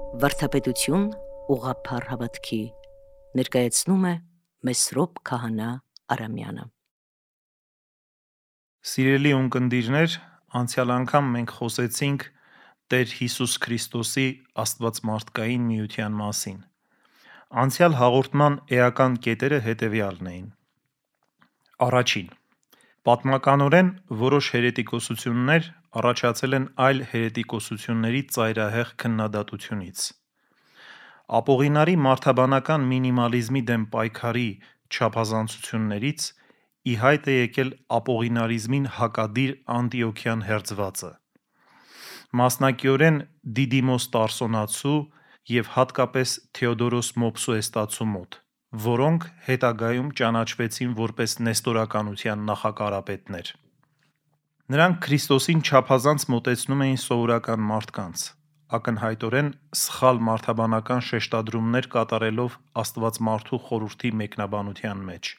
Վարդապետություն ուղղափառ հավատքի ներկայացնում է Մեսրոպ Քահանա Արամյանը։ Սիրելի ունկնդիրներ, անցյալ անգամ մենք խոսեցինք Տեր Հիսուս Քրիստոսի աստվածմարդկային միության մասին։ Անցյալ հաղորդման էական կետերը հետևյալն էին. Առաջին. պատմականորեն որոշ հերետիկոսություններ առաջացել են այլ հերետիկոսությունների ծայրահեղ քննադատությունից։ Ապողինարի մարդաբանական մինիմալիզմի դեմ պայքարի չափազանցություններից ի հայտ է եկել ապողինարիզմին հակադիր անտիոքյան հերձվածը, մասնակիորեն Դիդիմոս Տարսոնացու և հատկապես Թեոդորոս Մոփսուեստացու մոտ, որոնք հետագայում ճանաչվեցին որպես նեստորականության նախակարապետներ։ Նրանք Քրիստոսին չափազանց մոտեցնում էին սովորական մարդկանց, ակնհայտորեն սխալ մարդաբանական շեշտադրումներ կատարելով Աստվածմարդու խորհրդի մեկնաբանության մեջ։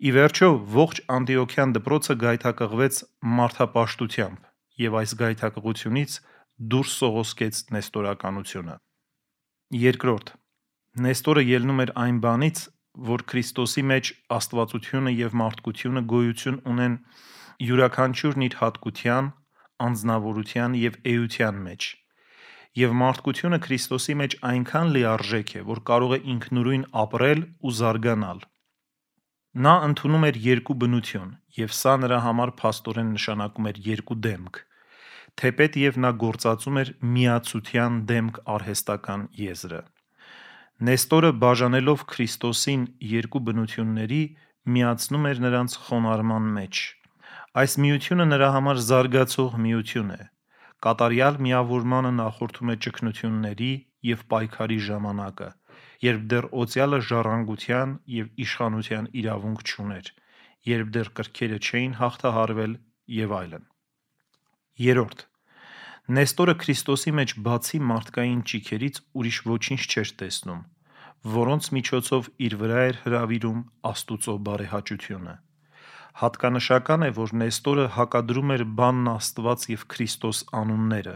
Ի վերջո, ողջ անտիոքյան դպրոցը գայթակղվեց մարդապաշտությամբ և այս գայթակղությունից դուրս սողոսկեց նեստորականությունը։ Երկրորդ. Նեստորը ելնում էր այն բանից, որ Քրիստոսի մեջ աստվածությունը և մարդկությունը գոյություն ունեն յուրաքանչյուրն իր հատկության, անձնավորության և էության մեջ, և մարդկությունը Քրիստոսի մեջ այնքան լիարժեք է, որ կարող է ինքնուրույն ապրել ու զարգանալ։ Նա ընդունում էր երկու բնություն, և սա նրա համար փաստորեն նշանակում էր երկու դեմք, թեպետև նա գործածում էր միացության դեմք արհեստական եզրը։ Նեստորը բաժանելով Քրիստոսին երկու բնությունների, միացնում էր նրանց խոնարհման մեջ։ Այս միությունը նրա համար զարգացող միություն է։ Կատարյալ միավորմանը նախորդում է ճգնությունների և պայքարի ժամանակը, երբ դեռ օծյալը ժառանգության և իշխանության իրավունք չուներ, երբ դեռ կրքերը չէին հաղթահարվել և այլն։ Երրորդ. Նեստորը Քրիստոսի մեջ բացի մարդկային ճիգերից ուրիշ ոչինչ չէր տեսնում, որոնց միջոցով իր վրա էր հրավիրում Աստուծո բարեհաճությունը։ Հատկանշական է, որ Նեստորը հակադրում էր բանն Աստված և Քրիստոս անունները։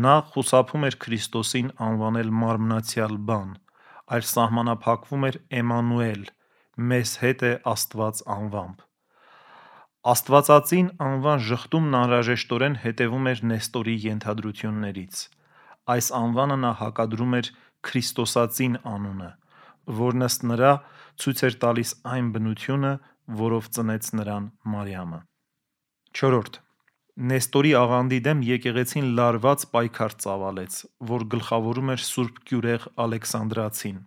Նա խուսափում էր Քրիստոսին անվանել մարմնացյալ բան, այլ սահմանափակվում էր Էմմանուել «Մեզ հետ է Աստված» անվամբ։ Աստվածածին անվան ժխտումն անհրաժեշտորեն հետևում էր Նեստորի ենթադրություններից։ Այս անվանը նա հակադրում էր Քրիստոսածին անունը, որն ըստ նրա ցույց էր տալիս այն բնությունը, որով ծնեց նրան Մարիամը։ Չորրորդ. Նեստորի աղանդի դեմ եկեղեցին լարված պայքար ծավալեց, որ գլխավորում էր Սուրբ Կյուրեղ Ալեքսանդրացին։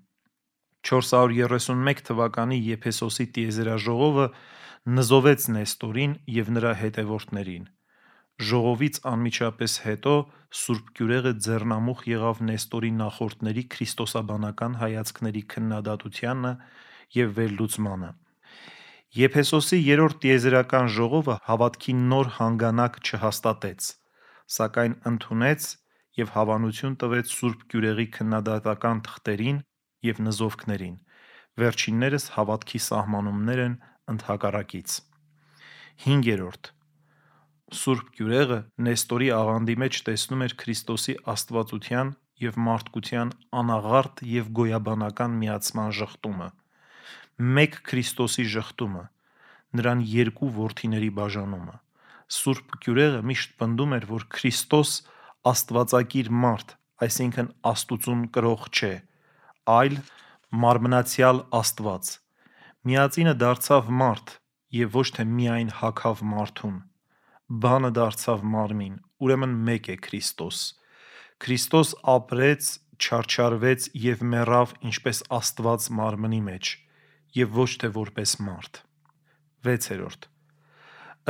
431 թվականի Եփեսոսի տիեզերաժողովը նզովեց Նեստորին և նրա հետևորդներին։ Ժողովից անմիջապես հետո Սուրբ Կյուրեղը ձեռնամուխ եղավ Նեստորի նախորդների քրիստոսաբանական հայացքների քննադատությանը և վերլուծմանը։ Եփեսոսի երրորդ տիեզերական ժողովը հավատքի նոր հանգանակ չհաստատեց, սակայն ընդունեց և հավանություն տվեց Սուրբ Կյուրեղի քննադատական թղթերին և նզովքներին, վերջիններս հավատքի սահմանումներ են ընդհակառակից։ Հինգերորդ. Սուրբ Կյուրեղը Նեստորի աղանդի մեջ տեսնում էր Քրիստոսի աստվածության և մարդկության անաղարտ և գոյաբանական միացման ժխտումը, մեկ Քրիստոսի ժխտումը, նրան երկու որդիների բաժանումը։ Սուրբ Կյուրեղը միշտ պնդում էր, որ Քրիստոս աստվածակիր մարդ, այսինքն Աստուծուն կրող չէ, այլ մարմնացյալ Աստված։ Միածինը դարձավ մարդ և ոչ թե միայն հագավ մարդուն, բանը դարձավ մարմին, ուրեմն մեկ է Քրիստոս։ Քրիստոս ապրեց, չարչարվեց և մեռավ ինչպես Աստված մարմնի մեջ և ոչ թե որպես մարդ։ 6.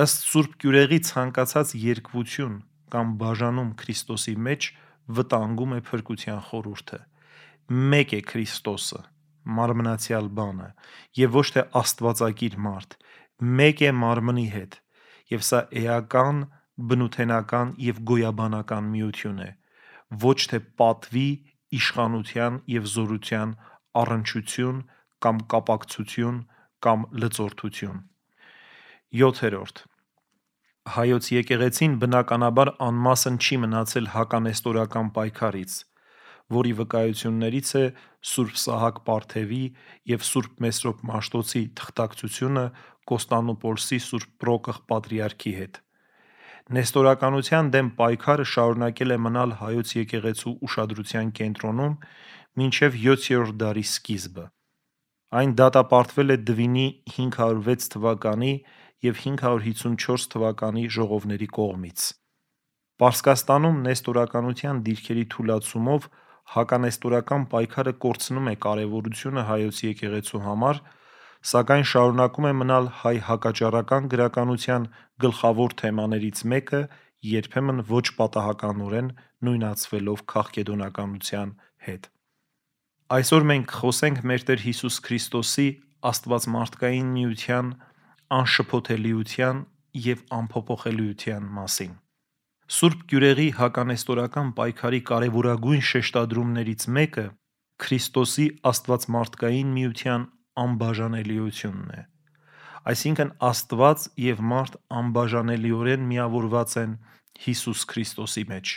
Ըստ Սուրբ Կյուրեղի ցանկացած երկվություն կամ բաժանում Քրիստոսի մեջ վտանգում է փրկության խորհուրդը։ Մեկ է Քրիստոսը, մարմնացյալ բանը, և ոչ թե աստվածակիր մարդ, մեկ է մարմնի հետ, և սա էական, բնութենական և գոյաբանական միություն է, ոչ թե պատվի, իշխանության և զորության առնչություն կամ կապակցություն կամ լծորդություն։ 7. Հայոց եկեղեցին բնականաբար անմասն չի մնացել հականեստորական պայքարից, որի վկայություններից է Սուրբ Սահակ Պարթևի և Սուրբ Մեսրոպ Մաշտոցի թղթակցությունը Կոստանդնուպոլսի Սուրբ Պրոկղ պատրիարքի հետ։ Նեստորականության դեմ պայքարը շարունակել է մնալ հայոց եկեղեցու ուշադրության կենտրոնում մինչև 7-րդ դարի սկիզբը։ Այն դատապարտվել է Դվինի 506 թվականի և 554 թվականի ժողովների կողմից։ Պարսկաստանում նեստորականության դիրքերի թուլացումով հականեստորական պայքարը կորցնում է կարևորությունը հայոց եկեղեցու համար, սակայն շարունակում է մնալ հայ հակաճառական գրականության գլխավոր թեմաներից մեկը, երբեմն ոչ պատահականորեն նույնացվելով քաղկեդոնականության հետ։ Այսօր մենք կխոսենք մեր Տեր Հիսուս Քրիստոսի աստվածմարդկային միության անշփոթելիության և անփոփոխելիության մասին։ Սուրբ Գյուրեղի հականեստորական պայքարի կարևորագույն շեշտադրումներից մեկը Քրիստոսի աստվածմարդկային միության անբաժանելիությունն է։ Այսինքն Աստված և մարդ անբաժանելիորեն միավորված են Հիսուս Քրիստոսի մեջ։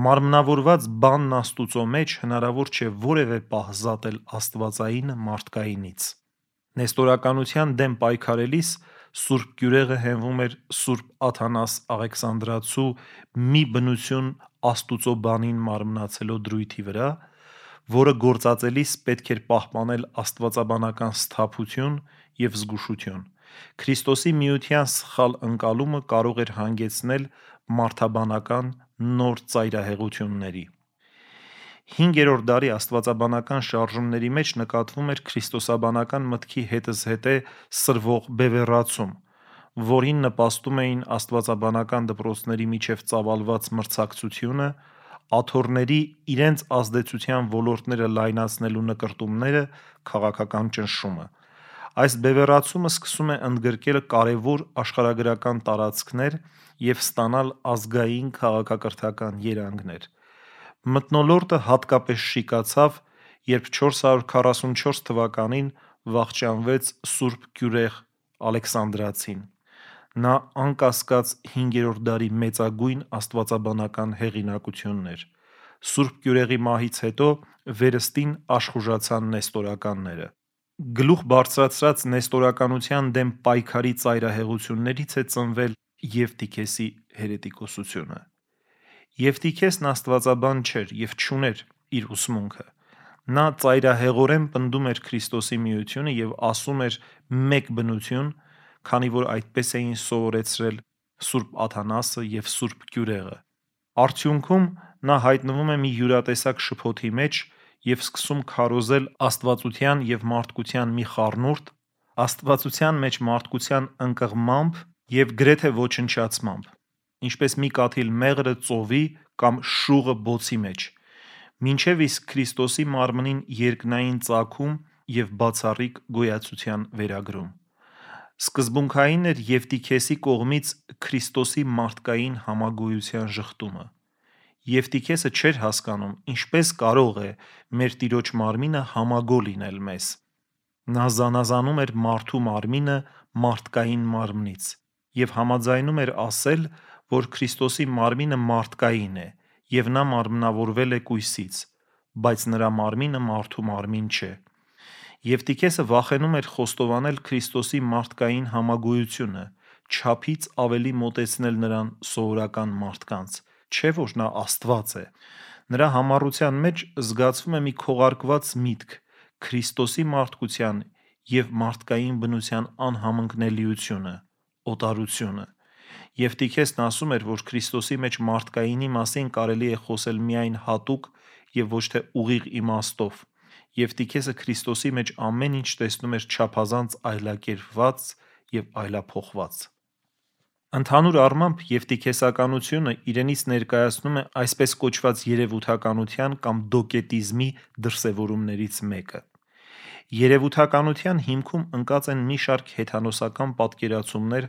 Մարմնավորված բանն Աստուծո մեջ հնարավոր չէ որևէ պահ զատել աստվածայինը մարդկայինից։ Նեստորականության դեմ պայքարելիս Սուրբ Գյուրեղը հենվում էր Սուրբ Աթանաս Աղեքսանդրացու մի բնություն Աստուծո բանին մարմնացելով դրույթի վրա, որը գործածելիս պետք էր պահպանել աստվածաբանական սթափություն և զգուշություն։ Քրիստոսի միության սխալ ընկալումը կարող էր հանգեցնել մարդաբանական նոր ծայրահեղությունների։ 5-րդ դարի աստվածաբանական շարժումների մեջ նկատվում էր քրիստոսաբանական մտքի հետզհետե սրվող բևեռացում, որին նպաստում էին աստվածաբանական դպրոցների միջև ծավալված մրցակցությունը, աթոռների իրենց ազդեցության ոլորտները լայնացնելու նկրտումները, քաղաքական ճնշումը։ Այս բևեռացումը սկսում է ընդգրկել կարևոր աշխարհագրական տարածքներ և ստանալ ազգային քաղաքակրթական երանգներ։ Մթնոլորտը հատկապես շիկացավ, երբ 444 թվականին վախճանվեց Սուրբ Գյուրեղ Ալեքսանդրացին։ Նա անկասկած 5-րդ դարի մեծագույն աստվածաբանական հեղինակությունն էր։ Սուրբ Գյուրեղի մահից հետո վերստին աշխուժացան նեստորականները։ Գլուխ բարձրացրած նեստորականության դեմ պայքարի ծայրահեղություններից է ծնվել Եվտիքեսի հերետիկոսությունը։ Եվտիքեսն աստվածաբան չէր և չուներ իր ուսմունքը։ Նա ծայրահեղորեն պնդում էր Քրիստոսի միությունը և ասում էր մեկ բնություն, քանի որ այդպես էին սովորեցրել Սուրբ Աթանասը և Սուրբ Գյուրեղը։ Արդյունքում նա հայտնվում է մի յուրատեսակ շփոթի մեջ և սկսում քարոզել աստվածության և մարդկության մի խառնուրդ, աստվածության մեջ մարդկության ընկղմամբ և գրեթե ոչնչացմամբ, ինչպես մի կաթիլ մեղրը ծովի կամ շուղը բոցի մեջ, մինչև իսկ Քրիստոսի մարմնին երկնային ծագում և բացառիկ գոյացության վերագրում։ Սկզբունքային էր Եվտիքեսի կողմից Քրիստոսի մարդկային համագոյության ժխտումը։ Եվտիքեսը չէր հասկանում ինչպես կարող է մեր Տիրոջ մարմինը համագո լինել մեզ։ Նա զանազանում էր մարդու մարմինը մարդկային մարմնից և համաձայնում էր ասել, որ Քրիստոսի մարմինը մարդկային է և նա մարմնավորվել է կույսից, բայց նրա մարմինը մարդու մարմին չէ։ Եվտիքեսը վախենում էր խոստովանել Քրիստոսի մարդկային համագոյությունը, չափից ավելի մոտեցնել նրան սովորական մարդկանց, չէ որ նա Աստված է։ Նրա համառության մեջ զգացվում է մի քողարկված միտք Քրիստոսի մարդկության և մարդկային բնության անհամընկնելիությունը, օտարությունը։ Եվտիքեսն ասում էր, որ Քրիստոսի մեջ մարդկայինի մասին կարելի է խոսել միայն հատուկ և ոչ թե ուղիղ իմաստով։ Եվտիքեսը Քրիստոսի մեջ ամեն ինչ տեսնում էր չափազանց այլակերպված և այլափոխված։ Ընդհանուր առմամբ եվտիքեսականությունը իրենից ներկայացնում է այսպես կոչված երևութականության կամ դոկետիզմի դրսևորումներից մեկը։ Երևութականության հիմքում ընկած են մի շարք հեթանոսական պատկերացումներ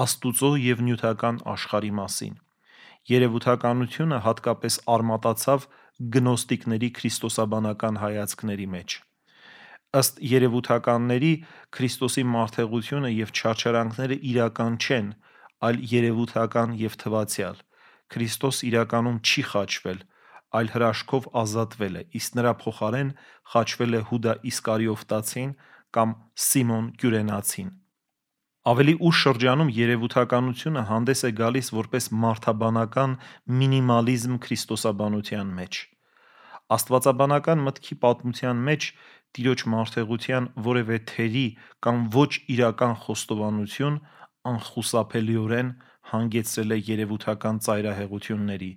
Աստուծո և նյութական աշխարհի մասին։ Երևութականությունը հատկապես արմատացավ գնոստիկների քրիստոսաբանական հայացքների մեջ։ Ըստ երևութականների Քրիստոսի մարդեղությունը և չարչարանքները իրական չեն, այլ երևութական և թվացյալ։ Քրիստոս իրականում չի խաչվել, այլ հրաշքով ազատվել է, իսկ նրա փոխարեն խաչվել է Հուդա Իսկարիովտացին կամ Սիմոն Կյուրենացին։ Ավելի ուշ շրջանում երևութականությունը հանդես է գալիս որպես մարդաբանական մինիմալիզմ քրիստոսաբանության մեջ։ Աստվածաբանական մտքի պատմության մեջ Տիրոջ մարդեղության որևէ թերի կամ ոչ իրական խոստովանություն անխուսափելիորեն հանգեցրել է երևութական ծայրահեղությունների,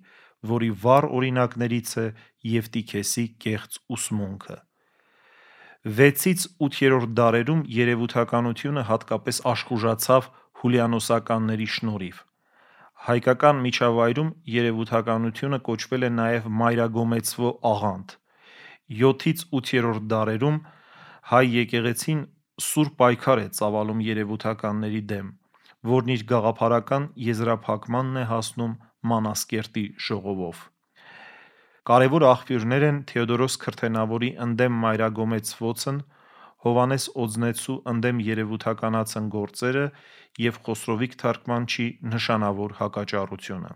որի վառ օրինակներից է Եվտիքեսի կեղծ ուսմունքը։ 6-ից 8-րդ դարերում երևութականությունը հատկապես աշխուժացավ հուլիանոսականների շնորհիվ։ Հայկական միջավայրում երևութականությունը կոչվել է նաև մայրագոմեցվո աղանդ։ 7-ից 8-րդ դարերում հայ եկեղեցին սուր պայքար է ծավալում երևութականների դեմ, որն իր գաղափարական եզրափակմանն է հասնում Մանասկերտի ժողովով։ Կարևոր աղբյուրներ են Թեոդորոս Քրթենավորի «Ընդդեմ մայրագոմեցվոցն», Հովհաննես Օձնեցու «Ընդդեմ երևութականացն» գործերը և Խոսրովիկ թարգմանչի «Նշանավոր հակաճառությունը»։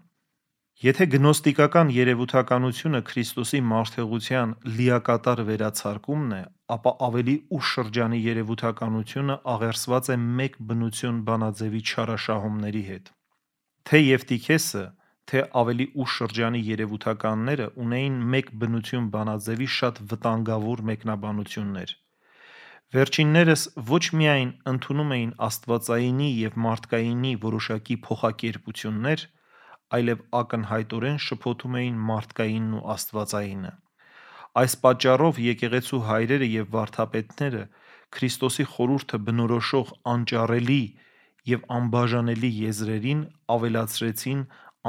Եթե գնոստիկական երևութականությունը Քրիստոսի մարդեղության լիակատար վերացարկումն է, ապա ավելի ուշ շրջանի երևութականությունը աղերսված է մեկ բնություն բանաձևի չարաշահումների հետ։ Թե Եվտիքեսը, թե ավելի ուշ շրջանի երևութականները ունեին մեկ բնություն բանաձևի շատ վտանգավոր մեկնաբանություններ։ Վերջիններս ոչ միայն ընդունում էին աստվածայինի և մարդկայինի որոշակի փոխակերպություններ, այլև ակնհայտորեն շփոթում էին մարդկայինն ու աստվածայինը։ Այս պատճառով եկեղեցու հայրերը և վարդապետները Քրիստոսի խորհուրդը բնորոշող անճարելի և անբաժանելի եզրերին ավելացրեցին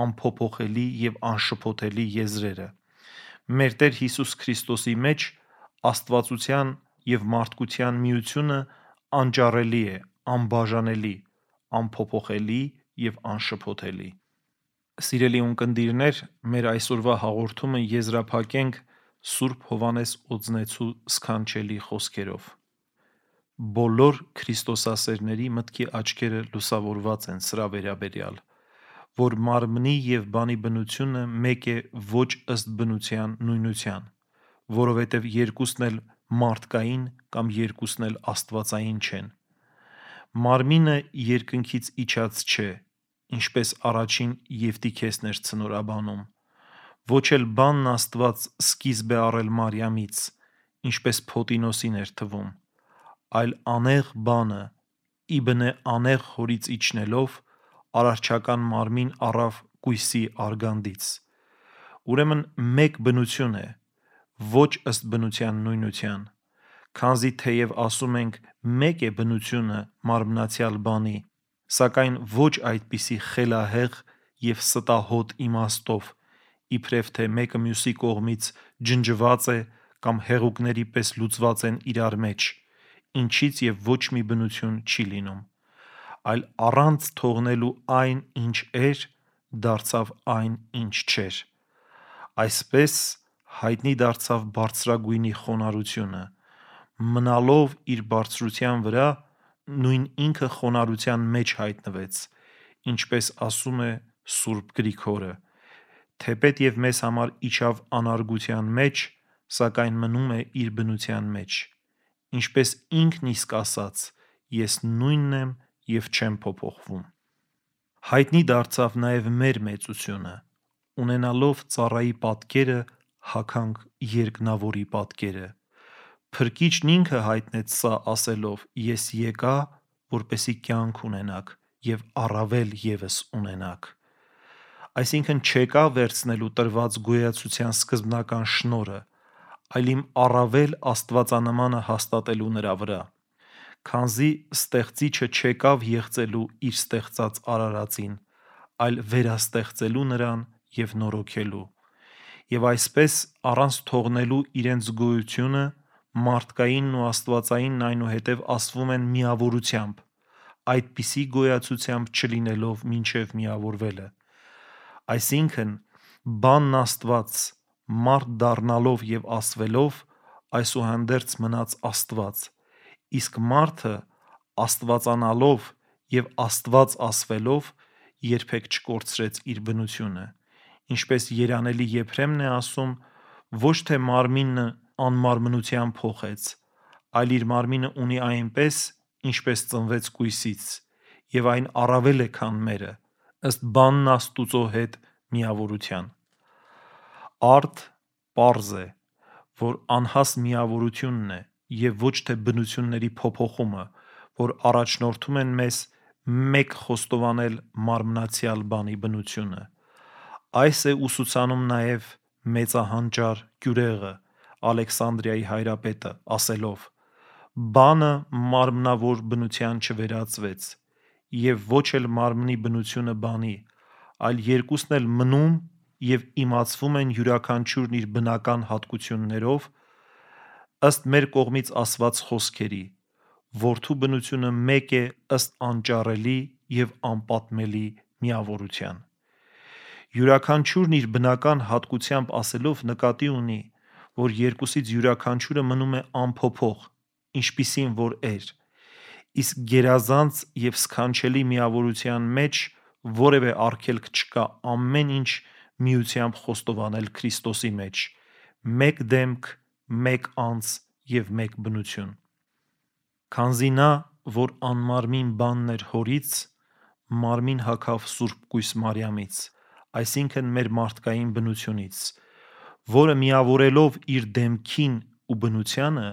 անփոփոխելի և անշփոթելի եզրերը։ Մեր Տեր Հիսուս Քրիստոսի մեջ աստվածության և մարդկության միությունը անճարելի է, անբաժանելի, անփոփոխելի և անշփոթելի։ Սիրելի ունկնդիրներ, մեր այսօրվա հաղորդումը եզրափակենք Սուրբ Հովհաննես Օձնեցու սքանչելի խոսքերով. Բոլոր քրիստոսասերների մտքի աչքերը լուսավորված են սրա վերաբերյալ, որ մարմնի և բանի բնությունը մեկ է ոչ ըստ բնության նույնության, որովհետև երկուսն էլ մարդկային կամ երկուսն էլ աստվածային չեն։ Մարմինը երկնքից իջած չէ, ինչպես առաջին Եվտիքեսն էր ցնորաբանում, ոչ էլ բանն Աստված սկիզբ է առել Մարիամից, ինչպես Փոտինոսին էր թվում, այլ անեղ բանը, իբնե անեղ հորից իջնելով, արարչական մարմին առավ կույսի արգանդից։ Ուրեմն մեկ բնություն է, ոչ ըստ բնության նույնության, քանզի թեև ասում ենք մեկ է բնությունը մարմնացյալ բանի, սակայն ոչ այդպիսի խելահեղ և ստահոդ իմաստով, իբրև թե մեկը մյուսի կողմից ջնջված է կամ հեղուկների պես լուծված են իրար մեջ, ինչից և ոչ մի բնություն չի լինում, այլ առանց թողնելու այն, ինչ էր, դարձավ այն, ինչ չէր։ Այսպես հայտնի դարձավ բարձրագույնի խոնարհությունը, մնալով իր բարձրության վրա, նույն ինքը խոնարհության մեջ հայտնվեց, ինչպես ասում է Սուրբ Գրիգորը, թեպետ և մեզ համար իջավ անարգության մեջ, սակայն մնում է իր բնության մեջ, ինչպես ինքն իսկ ասաց. «Ես նույնն եմ և չեմ փոփոխվում»։ Հայտնի դարձավ նաև մեր մեծությունը, ունենալով ծառայի պատկերը, հագանք երկնավորի պատկերը։ Փրկիչն ինքը հայտնեց սա ասելով. «Ես եկա, որպեսզի կյանք ունենաք և առավել ևս ունենաք»։ Այսինքն չեկա վերցնելու տրված գոյացության սկզբնական շնորհը, այլ իմ առավել աստվածանմանը հաստատելու նրա վրա, քանզի ստեղծիչը չեկավ եղծելու իր ստեղծած արարածին, այլ վերաստեղծելու նրան և նորոգելու։ Եվ այսպես, առանց թողնելու իրենց գոյությունը, մարդկայինն ու աստվածայինն այնուհետև ասվում են միավորությամբ, այդպիսի գոյացությամբ չլինելով մինչև միավորվելը։ Այսինքն, բանն Աստված մարդ դառնալով և ասվելով, այսուհանդերձ մնաց Աստված, իսկ մարդը աստվածանալով և Աստված ասվելով երբեք չկորցրեց իր բնությունը, Ինչպես երանելի Եփրեմն է ասում, ոչ թե մարմինը անմարմնության փոխեց, այլ իր մարմինը ունի այնպես, ինչպես ծնվեց կույսից, եւ այն առավել է, քան մերը, ըստ բանն Աստուծո հետ միավորության։ Արդ պարզ է, որ անհաս միավորությունն է եւ ոչ թե բնությունների փոփոխումը, որ առաջնորդում են մեզ մեկ խոստովանել մարմնացյալ բանի բնությունը։ Այս է ուսուցանում նաև մեծահանճար Գյուրեղը, Ալեքսանդրիայի հայրապետը, ասելով. «Բանը մարմնավոր բնության չվերածվեց, եւ ոչ էլ մարմնի բնությունը բանի, այլ երկուսն էլ մնում եւ իմացվում են յուրաքանչյուրն իր բնական հատկություններով, ըստ մեր կողմից ասված խոսքերի. Որդու բնությունը մեկ է ըստ անճարելի եւ անպատմելի միավորության»։ Յուրաքանչյուրն իր բնական հատկությամբ ասելով նկատի ունի, որ երկուսից յուրաքանչյուրը մնում է անփոփոխ, ինչպիսին որ էր, իսկ գերազանց եւ սքանչելի միավորության մեջ որևէ արգելք չկա ամեն ինչ միությամբ խոստովանել Քրիստոսի մեջ, մեկ դեմք, մեկ անձ եւ մեկ բնություն։ Քանզի նա, որ անմարմին բանն էր հորից, մարմին հագավ Սուրբ Կույս Մարիամից, այսինքն մեր մարդկային բնությունից, որը միավորելով իր դեմքին ու բնությանը,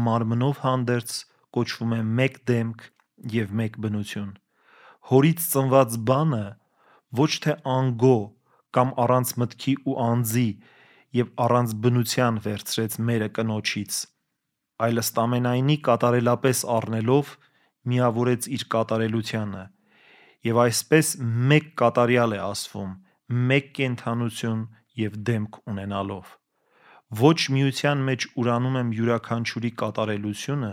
մարմնով հանդերձ կոչվում է մեկ դեմք եւ մեկ բնություն։ Հորից ծնված բանը ոչ թե անգո կամ առանց մտքի ու անձի եւ առանց բնության վերցրեց մերը կնոջից, այլ ըստ ամենայնի կատարելապես առնելով միավորեց իր կատարելությանը եւ այսպես մեկ կատարյալ է ասվում, մեկ կենդանություն եւ դեմք ունենալով։ Ոչ միության մեջ ուրանում եմ յուրաքանչյուրի կատարելությունը,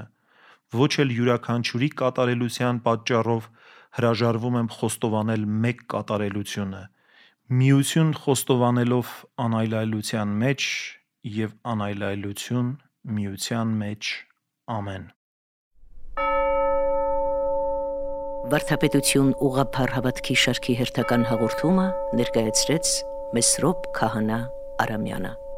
ոչ էլ յուրաքանչյուրի կատարելության պատճառով հրաժարվում եմ խոստովանել մեկ կատարելությունը, միություն խոստովանելով անայլայլության մեջ եւ անայլայլություն միության մեջ։ Ամեն։ Վարդապետություն ուղղափառ հավատքի շարքի հերթական հաղորդումը ներկայացրեց Մեսրոպ Քահանա Արամյանը։